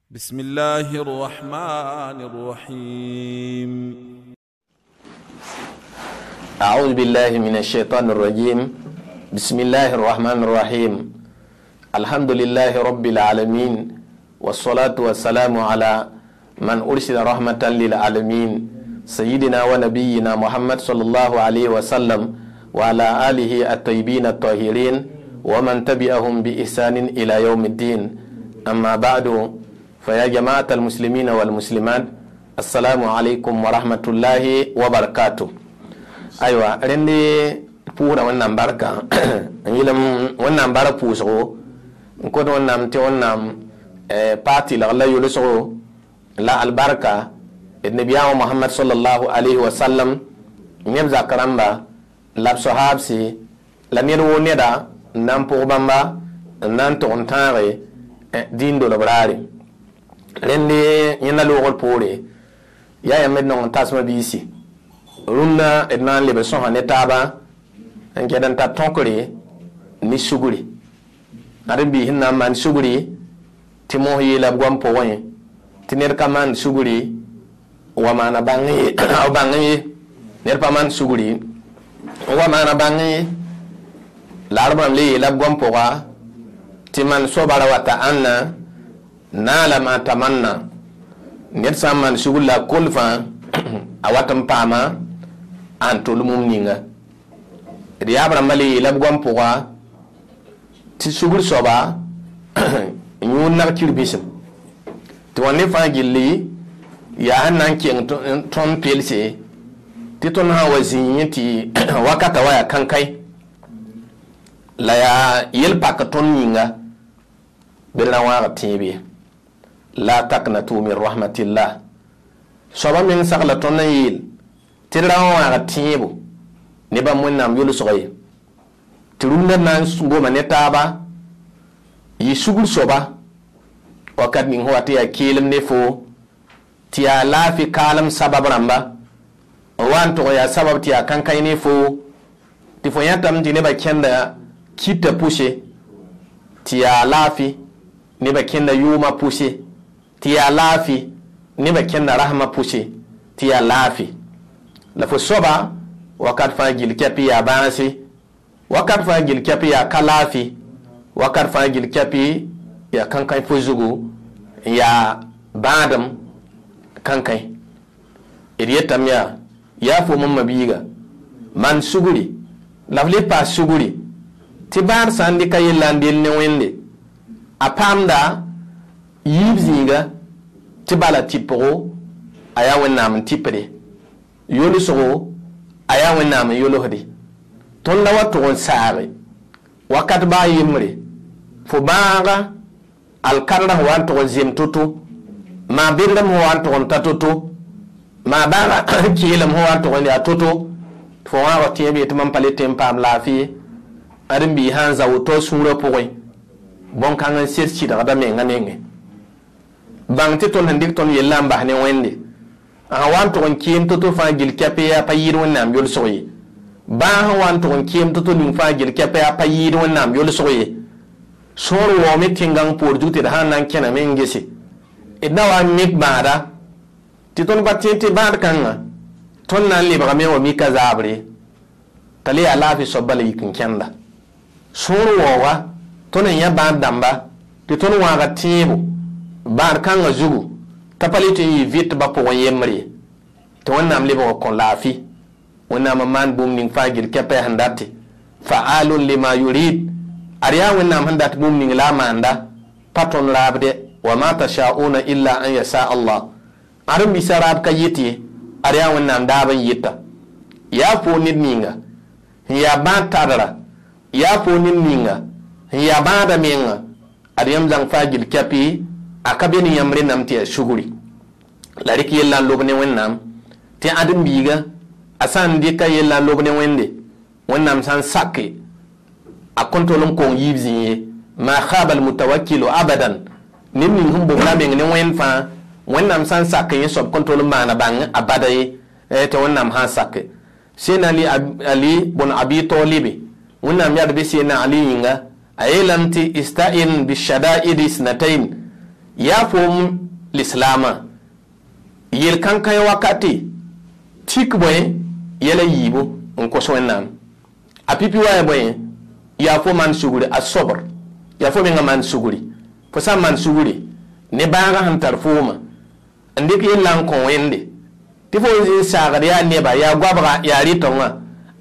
بسم الله الرحمن الرحيم. أعوذ بالله من الشيطان الرجيم. بسم الله الرحمن الرحيم. الحمد لله رب العالمين، والصلاة والسلام على من أرسل رحمة للعالمين، سيدنا ونبينا محمد صلى الله عليه وسلم، وعلى آله الطيبين الطاهرين ومن تبعهم بإحسان إلى يوم الدين. أما بعد، فيا جماعة المسلمين والمسلمات، السلام عليكم ورحمة الله وبركاته. أيوة، رندي pʋʋsda Wẽnnaam barka n yɩlem Wẽnnaam bara pʋʋsgo n kot Wẽnnaam tɩ Wẽnnaam paag tɩlg la yʋlsgo la albarka d nabiyaamã Mohamad sallallahu alayhi wa sallam, neb zak rãmba la b soaabse la ned woo neda n na n pʋg bãmba n na n tʋg n tãage dĩin dolb raare. Rẽnde yẽnda loogr poore yaa yãmb d nong n tasmã biisi rũndã d na n leb sõsa ne taaba n kɛd n tar tõkre ne sugri. Ad n biis n na n maan sugri tɩ mos yeela b goam pʋgẽ tɩ ned ka maan sugri wa maana bãng ye, b bãng ye ned pa maan sugri wa maana bãng ye. La ad rãmb le yeela b goam pʋga tɩ man sobara wa ta ãnna naala ma tamanna ned sã n maan sugr la a kol fãa a wat n paama a n tol mum ninga. D yaab rãmbã le yeela b goam pʋga tɩ sugr soaba yũud nag kirbisem tɩ wã ne fãa gilli yaa sẽn na n keng tõnd pelse tɩ tõnd sã n wa zĩig tɩ wakata wa yaa kãnkãe la yaa yel-pak tõnd yĩnga bɩ d ra wãag tẽeb ye. La taknatu min rahmatillah. Soaba meng sagla tõnd n yeel tɩ d ra wãag tẽebo ne bãmb Wẽnnaam yʋlsg ye tɩ rũndã na n goma ne taaba yɩ sugr soaba wakat ning sẽn wa tɩ yaa keelem ne foo tɩ yaa laafɩ kaalem sabab rãmba n wa n tʋg yaa sabab tɩ yaa kãnkãe ne foo tɩ fo yãtame tɩ nebã kẽnda kɩta pʋse tɩ yaa laafɩ nebã kẽnda yʋʋmã pʋse tɩ yaa laafɩ nebã kẽnda rasmã pʋse tɩ yaa laafɩ la fo soaba wakat fãa gil kɛpɩ yaa bãase, wakat fãa gil kɛpɩ yaa ka laafɩ, wakat fãa gil kɛpɩ yaa kãnkãe fo zugu n yaa bãadem kãnkãe. D yetame yaa fo mam biiga maan sugri la f le paas sugri tɩ bãad sã n dɩka yella n del ne Wẽnde a paamda yiib zĩiga tɩ bala tɩpgo a yaa Wẽnnaam n tɩpde yolsgo a yaa Wẽnnaam n yolsde. Tõnd la wa tʋg n saage wakat baa yembre fo bãaga alkadrã sẽn wa n tʋg n zem to-to maa bedrem sẽn wa n tʋg n ta to-to maa bãaga keelem sẽn wa n tʋg n yaa to-to fo wãag tẽeb ye tɩ mam pa le tẽ n paam laafɩ ye. Ad n bii sã n zao to sũurã pʋgẽ bõn-kãng n sed sɩdgda menga nengẽ bãng tɩ tõnd sẽn dɩk tõnd yellã n bas ne Wẽnde sã wa n tʋg n keem to-to fãa gil kɛpɩ yaa pa yɩɩd Wẽnnaam yʋlsg ye, bãa sẽn wa n tʋg n keem to-to ning fãa gil kɛpɩ yaa pa yɩɩd Wẽnnaam yʋlsg ye. Sõor waoome tẽngãng poor zug tɩ d sã n na n kẽname n gese d na wa n mik bãada tɩ tõnd pa tẽ tɩ bãad kãngã tõnd na n lebgame wa mika zaabre t'a le yaa laafɩ soab bala yik n kẽnda. Sõor waooga tõnd n yã bãad dãmba tɩ tõnd wãaga tẽebo bãad kãngã zugu t'a pa le tɩ n yɩ vɩtbã pʋgẽ yembre ye tɩ Wẽnnaam lebg n kõ laafɩ. Wẽnnaam n maan bũmb ning fãa gil kɛpɛ sẽn date fa'alun lima yurid ad yaa Wẽnnaam sẽn dat bũmb ning la a maanda pa tõnd raabde wa ma tashauna illa an yasha Allah. Ad n bisa raab ka yɩt ye, ad yaa Wẽnnaam daab n yɩta. Yaa fo ned ninga n yaa bãad tadra, yaa fo ned ninga n yaa bãada menga ad yãmb zãng fãa gil kɛpɩ a ka be ne yãmb rẽnname tɩ yaa sugri. La rɩk yella n lob ne Wẽnnaam tɩ ãdem biiga a sã n dɩka yella n lob ne Wẽnde Wẽnnaam sã n sake a kõn tol n kong yiib zĩ ye. Ma khaba almutawakkilu abadan ned ning sẽn bobra meng ne Wẽnd fãa Wẽnnaam sã n sak yẽ soab kõn tol n maana bãng a bada ye tɩ Wẽnnaam sã n sake. Sẽn Ali bõn Abi Talibe Wẽnnaam yaa b Sẽn Ali yĩnga a yeelame tɩ ista'in bishada'id isnatain Yaa foom lislaamã yel kãn-kãe wakate tik bõe yɛla yiibu n kos Wẽnnaam a pipi wa ya bõe yaa fo maan sugri a sobr yaa fo menga maan sugri fo sã n maan sugri ne bãagã sẽn tar fooma n dɩk yella n kõ Wẽnde tɩ fo n zĩ n saagd yaa neba yaa goabga yaa rɩtengã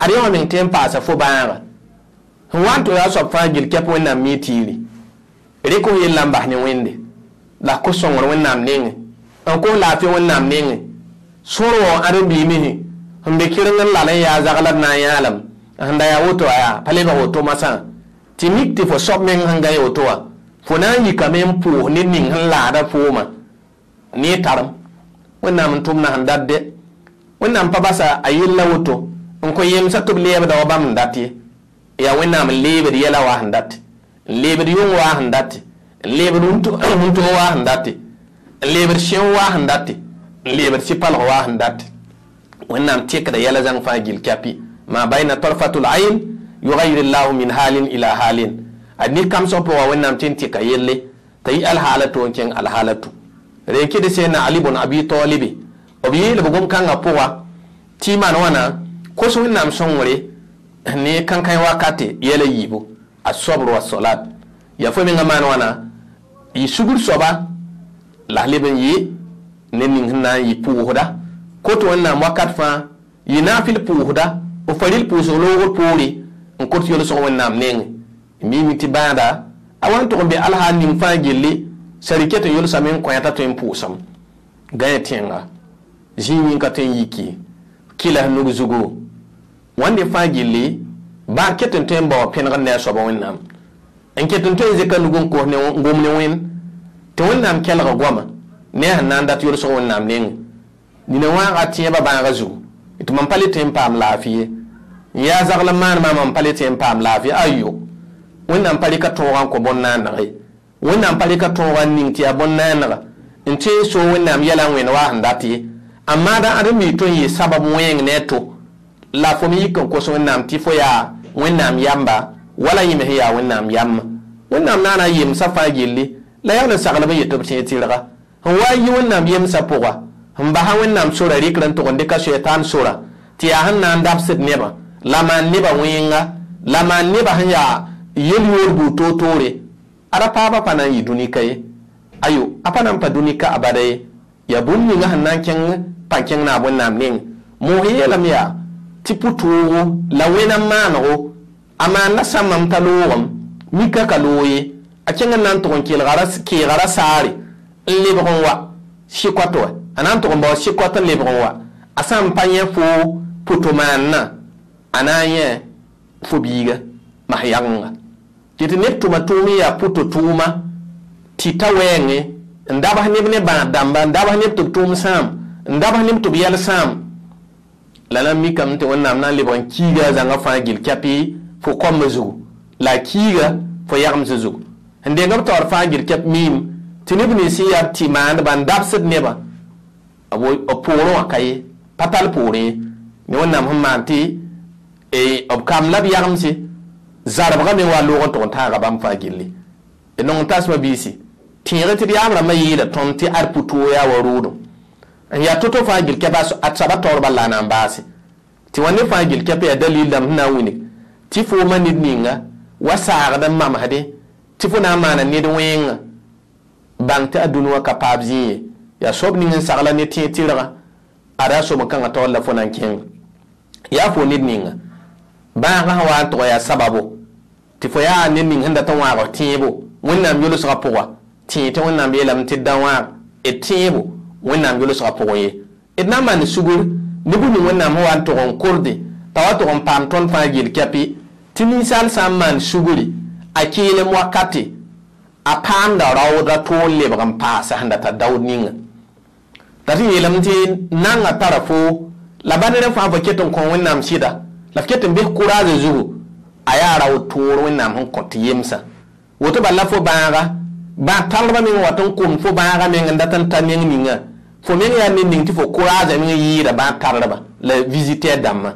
ad yã wã meng tõe n paasa fo bãaga sẽn wa n tɩ yaa soab fãa gil kɛp Wẽnnaam mi tiiri rɩk f yella n bas ne Wẽnde la kos sõngr Wẽnnaam nengẽ n kos laafɩ Wẽnnaam nengẽ sõor wã ãdem-biig mesẽ sẽn be kɩreng n lal n yaa zagla d na n yãalem sẽn da yaa woto yaa pa lebg woto masã tɩ mik tɩ fo soab meng sẽn gã woto wã fo na n yikame n pʋʋs ned ning sẽn laada fooma ne tarem Wẽnnaam n tʋmda sẽn dat dɛ Wẽnnaam pa basa a yella woto n kõ yemsã tɩ b leebda wa bãmb n dat ye yaa Wẽnnaam n leebd yɛla wa sẽn dat n leebd yʋng wa sẽn dat n leebd wũntog wa sẽn dat n leebd sẽo wa sẽn dat n leebd sɩ-palg wa sẽn dat Wẽnnaam tekda yɛla zãng fãa gil kɛpi ma bayna tarfatul ayn yughayir llahu min halin ila halin a ned kamsg pʋga Wẽnnaam tɩ n tɩka yelle t'a yɩ alhaala to n kẽng alhaala tu ren kɩd sẽn Ali bn Abi Talibi b yeel b gom-kãngã pʋga tɩ maan wãna kos Wẽnnaam sõngre ne kãn-kãe wakate yɛla yiibu a sobr wa solat yaa fo mengã maan wãna yɩ sugr soaba la leb n yɩ ned ning sẽn na n yɩ pʋʋsda kot Wẽnnaam wakat fãa yɩ naafɩl pʋʋsda b faril pʋʋsg loogr poore n kot yolsg Wẽnnaam nengẽ mimi tɩ bãada a wa n tʋg n be alhaal ning fãa gilli sã rɩkɛ tɩ yolsame n kõ t'a tõe n pʋʋsem gãe tẽnga zĩig yĩng ka tõe n yiki kɩlas nug zugu wãnde fãa gilli bãag ket n tõe n bao pẽnegd ne a soaba Wẽnnaam n ket n tõe n zɩka nug n kos n gom ne Wẽnd tɩ Wẽnnaam kelg goama ne a sẽn na n dat yolsg Wẽnnaam nengẽ nina wãaga tẽebã bãagã zugu tɩ mam pa le tõe n paam laafɩ ye n yaa zagl n maan maam mam pa le tõe n paam laafɩ ayo Wẽnnaam pa rɩka tõogã n kõ bõn-naaneg ye Wẽnnaam pa rɩka tõogã n ning tɩ yaa bõn-naanega n tõe n soog Wẽnnaam yɛla n wẽnd wa sẽn dat ye a maada ãdem-biig tõe n yɩ sabab wẽeng ne a to la fo me yik n kos Wẽnnaam tɩ fo yaa Wẽnnaam yamba wala yẽ me sẽn yaa Wẽnnaam yamma Wẽnnaam naana yemsã fãa gilli la yaa n saglb n yet tɩ b tẽeg tɩrga sẽn wa n yi Wẽnnaam yemsã pʋga sẽn basa Wẽnnaam sora rɩkr n tʋg n dɩka soɛtaan sora tɩ yaa sẽn na n dabsd nebã la maan nebã wẽnga la maan nebã sẽn yaa yel-yoor buud toor-toore ada paabã pa na n yɩ dũnika ye ayo a pa na n pa dũnika abada ye yaa bũmb ninga sẽn na n kẽng pa kẽng naab Wẽnnaam neng moos yeelame yaa tɩ pʋ-toogo la wẽna maanego a maanda sãmbame t'a loogem mika ka loog ye a kẽng n na n tʋg n keega ra saare n lebg n wa sɩkoat wa a na n tʋg n bao sɩkoat n lebg n wa a sã n pa yẽ fo pʋto-maannã a na n yẽ fo biiga mas yagenga tɩ tɩ neb tʋma tʋʋm n yaa pʋto-tʋʋma tɩ ta wɛɛngẽ n dabs neb ne bãad dãmba n dabs neb tɩ b tʋʋm sãam n dabs neb tɩ b yɛl sãam la na n mikame tɩ Wẽnnaam na n lebg n kiiga a zãngã fãa gil kɛpɩ fo koambã zugu la a kiiga fo yagemsã zugu sẽn deng b taoor fãa gil kɛp miim tɩ neb nins sẽn yaa b tɩ maandba n dabsd nebã b poorẽ wã ka ye pa tall poorẽ ye ne Wẽnnaam sẽn maan tɩ b kamb la b yagemse zarbgã me wa loog n tʋg n tãaga bãmb fãa gilli d nong n tasmã biisi tẽeg tɩ d yaab rãmbã yeela tõnd tɩ ad pʋ-toog yaa wa roodem n yaa to-to fãa gil kɛp a soaba taoor bal la a na n baase tɩ wã ne fãa gil kɛp yaa dalil dãmb sẽn na n wilg tɩ fooma ned ninga wa saagd n mamsdẽ tɩ fo na n maana ned wẽnga bãng tɩ a dũni wã ka paab zĩig ye yaa soab ning n sagla ne tẽeg tɩrga ada a soam-kãngã taoor la fo na n kẽng yaa fo ned ninga bãagã sẽn wa n tʋg yaa sababo tɩ fo yaa ned ning sẽn dat n wãag tẽebo Wẽnnaam yolsgã pʋga tẽeg tɩ Wẽnnaam yeelame tɩ da wãag d tẽebo Wẽnnaam yolsgã pʋgẽ ye d na n maan sugr ne bũmb ning Wẽnnaam sẽn wa n tʋg n korde t'a wa tʋg n paam tõnd fãa gil kɛpɩ tɩ ninsaal sã n maan sugri a keelem wakate a paamda raoodra toor lebg n paasa sẽn dat a daood ninga t'a tɩ yeelame tɩ nanga tara fo la ba ned fãa fo ket n kõ Wẽnnaam sɩda la f ket n bes kʋraazã zugu a yaa raood toor Wẽnnaam sẽn kõ tɩ yemsã woto bala la fo bãaga bãag talbã meng wat n kom fo bãaga meng n dat n ta neng ninga fo meng yaa ned ning tɩ fo kʋraazã meng yɩɩda bãag tarlba la visiteur dãmbã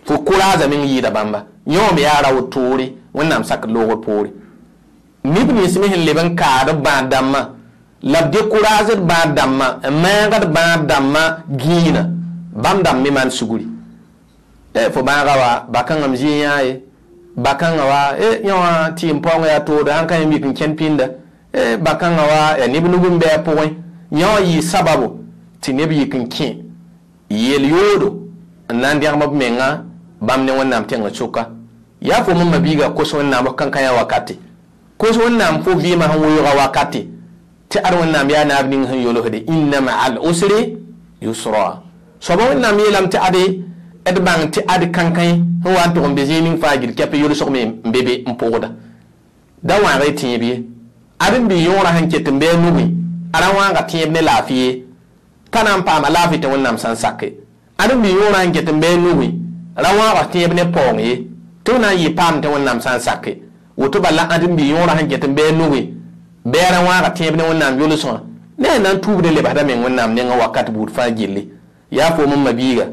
fo kʋraazã meng yɩɩda bãmba yẽ me yaa raood toore Wẽnnaam sakd loogr poore neb nins me sẽn leb n kaad b bãad dãmbã La b découraged bãad dãmbã n maagd bãad dãmbã gĩinã bãmb dãmb me maan sugri fo bãaga wa ba-kãngã m zĩ yã ye ba-kãngã wa yã wã tɩɩm paoongã yaa toode sãn ka yẽ mik n kẽnd pĩnda ba-kãngã wa yaa neb nug n bɩ a pʋgẽ yã wã yɩ sababo tɩ neb yik n kẽ yel-yoodo n na n dẽgem b menga bãmb ne Wẽnnaam tẽngã sʋka yaa fo mam mabiiga kos Wẽnnaam f kankã wakate kos Wẽnnaam fo vɩɩmã sẽn weooga wakate tɩ ad Wẽnnaam yaa naab ning sẽn yolsde inna ma'al usri yusra soaba Wẽnnaam yeelame tɩ ade d bãng tɩ ad kankãe sẽn wa n tʋg n be zĩig ning fãa gil kɛp yolsg me n be be n pʋgda da wãag y tẽeb ye ad n bɩ yõorã sẽn ket n bɩ a nugẽ a ra wãaga tẽeb ne laafɩ ye t'a na n paama laafɩ tɩ Wẽnnaam sã n sake ad n bɩ yõorã sẽn ket n bɩ a nugẽ ra wãaga tẽeb ne paoong ye tɩ b na n yɩ paam tɩ Wẽnnaam sã n sake woto bala ad n bɩ yõorã sẽn ket n bɩ a nugẽ bɩ a ra wãaga tẽeb ne Wẽnnaam yolsgã ne a na n tuub ne lebsda meng Wẽnnaam nengã wakat buud fãa gilli yaa fo mam mabiiga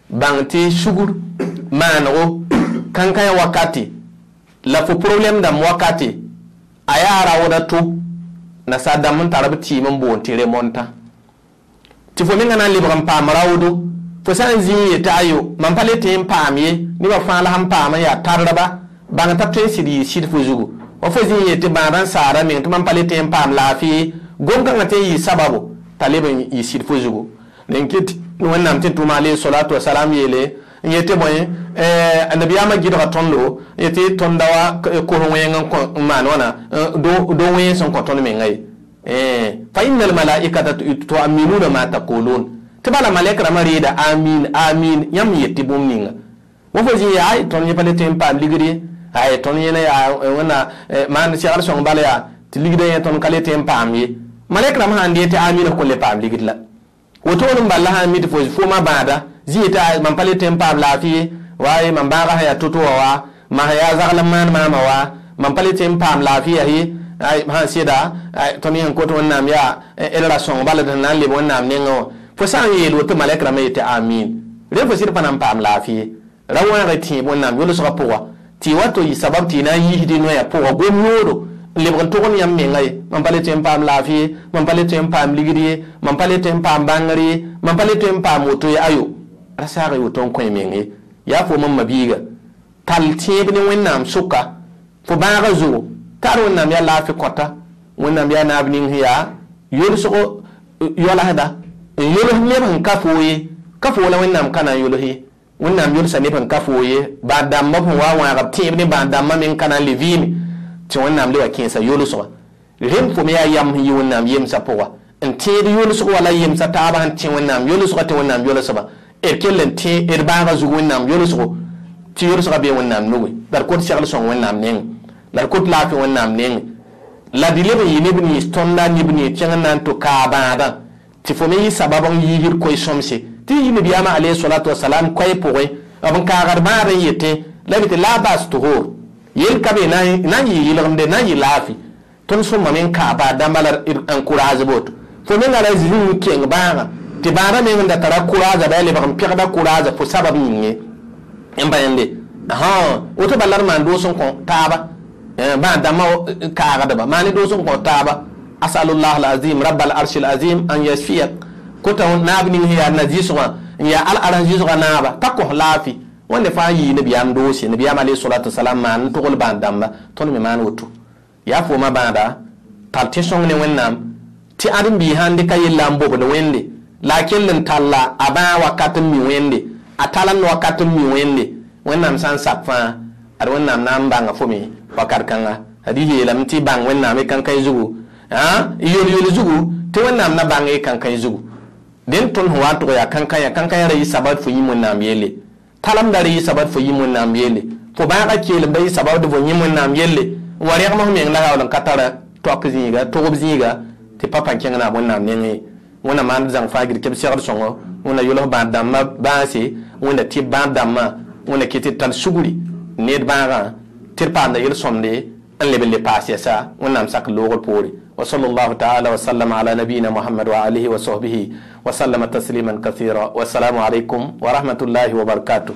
bãng tɩ sugr maanego kankãyã wakate la fo problɛm dãmb wakate a yaa raooda to nasaar dãmb n tar b tɩɩm n boond tɩ remontã tɩ fo menga na n lebg n paam raoodo fo sã n zĩ n yetɩ ayo mam pa le tɩ n paam ye nebã fãa la sẽn paam n yaa tardba bãng t'a tõe n sɩd yɩ sɩd fo zugu wa fo zĩ n yetɩ bãadã n saara meng tɩ mam pa le tɩ n paam laafɩ gom-kãngã tɩ n yɩ sababo t'a leb n yɩ sɩd fo zugu n ket Wẽnnaam tɩ tʋʋma alayhi salatu wasalam yeele n yetɩ bõe nabiyaamã gɩdga tõndo n yetɩ tõnda wa kos wẽng n maan wãna do wẽns n kõ tõnd menga ye fa inna almalaikata tuaminuna ma taqulun tɩ bala malɛk rãmbã reeda amin amin yãmb yet tɩ bũmb ninga wa fo zĩ yaa ay tõnd yẽ pa le tɩ n paam ligd ye ay tõnd yẽna yaa wẽnna maan segl sõng bala yaa tɩ ligdã yẽ tõnd ka le tɩ n paam ye malɛk rãmb sãn dee tɩ amin f kõn le paam ligd la woto n bala sãn mi tɩ fo foma bãada zĩ tɩ mam pa le tɩ n paam laafɩ ye wa mam bãaga sẽn yaa to-to wã wa mam sẽn yaa zagl n maan maamã wa mam pa le tɩ n paam laafɩ yaa ye sãn sɩda tõnd yẽ sẽn kot Wẽnnaam yaa d ra sõng bala d sẽn na n leb Wẽnnaam nengã wã fo sã n yeel woto malɛk rãmbã yetɩ amin rẽ fo sɩd pa na n paam laafɩ ye ra wãag tẽeb Wẽnnaam yolsgã pʋga tɩ wa to yɩ sabab tɩ y na n yiisd y noyã pʋga gom yoodo n lebg n tʋgend yãmb menga ye mam pa le tɩ n paam laafɩ ye mam pa le tɩ n paam ligd ye mam pa le tɩ n paam bãngr ye mam pa le tɩ n paam woto ye ayo ra saag y woto n kõ y meng ye yaa fo mam mabiiga tall tẽeb ne Wẽnnaam sʋka fo bãagã zugu t'a ad Wẽnnaam yaa laafɩ kõta Wẽnnaam yaa naab ning sẽn yaa yolsgo yolasda n yols neb sẽn ka foo ye ka foo la Wẽnnaam ka na n yols ye Wẽnnaam yolsa neb sẽn ka foo ye bãad dãmbã sẽn wa wãag b tẽeb ne bãad dãmbã meng ka na n le vɩɩme tɩ Wẽnnaam le wa kẽesa yolsgã rẽnd fo me yaa yam sẽn yɩ Wẽnnaam yemsã pʋga n tẽed yolsg wala yemsã taabã sẽn tẽ Wẽnnaam yolsgã tɩ Wẽnnaam yolsba d kell n tẽ d bãagã zug Wẽnnaam yolsgo tɩ yolsgã bee Wẽnnaam nugẽ la d kot segl sõng Wẽnnaam nengẽ la d kot laafɩ Wẽnnaam nengẽ la d leb n yɩ neb nins tõnda neb nins kẽng n na n tʋ kaa bãadã tɩ fo me yɩ sabab n yiisd koe-sõmse tɩ yɩ nabiyaamã alayhi salatu wasalam koɛɛ pʋgẽ b n kaagd bãad n yetẽ la b tɩ la bas tuhur yel ka be na n yɩ yɩlgemde na n yɩ laafɩ tõnd sõmame n kaa baad dãmba la n kʋraaz boto fo menga ra zĩ n keng bãagã tɩ bãadã meng n da tara kʋraaza bɩ a lebg n pegda kʋraaza fo sabab yĩnge n pa yẽnde woto bala d maan doos n kõ taaba bãad dãmbã kaagdba maan doos n kõ taaba asalullah alazim rabbal arshi alazim an yasfiyak kota naab ning sẽn yaa na-zɩsgã n yaa al-arsã zɩsgã naaba t'a kos laafɩ wẽnde fãa yɩ nabiyaam doose nabiyaam alayhi salatu wasalam maan n togl bãad dãmba tõnd me maan woto yaa fooma bãada tall tẽ sõng ne Wẽnnaam tɩ ãdem-biis sãn dɩka yella n bobd Wẽnde la a kell n talla a bãag wakat n mi Wẽnde a talemd wakat n mi Wẽnde Wẽnnaam sã n sak fãa ad Wẽnnaam na n bãnga fo me wakat kãnga ad y yeelame tɩ bãng Wẽnnaam y kankãe zugu yol-yol zugu tɩ Wẽnnaam na bãng y kankãe zugu dẽn tõnd sẽn wa n tʋg yaa kankãyã kankãyã ra yɩ sabab fo yĩm Wẽnnaam yelle talemda ra yɩ sabab fo yĩm Wẽnnaam yelle fo bãagã keelem ba yɩ sabab fo yĩm Wẽnnaam yelle n wa rẽgem f meng la yaool n ka tara toak zĩiga togb zĩiga tɩ pa pa kẽng naab Wẽnnaam nengẽ Wẽnnaam maan zãng fãa gil tɩ b segd sõngo Wẽnna yols bãad dãmbã bãase Wẽnna tɩ bãad dãmbã Wẽnna kɩ tɩ tall sugri ned bãagã tɩ d paamda yel-sõmde n leb n le paas yɛsa Wẽnnaam sak loogr poore wa sallallahu taala wa sallama ala nabiyina Muhammad wa alihi wa sahbihi wa sallama tasliman kathira wassalamu alaikum wa rahmatullahi wa barakatuh.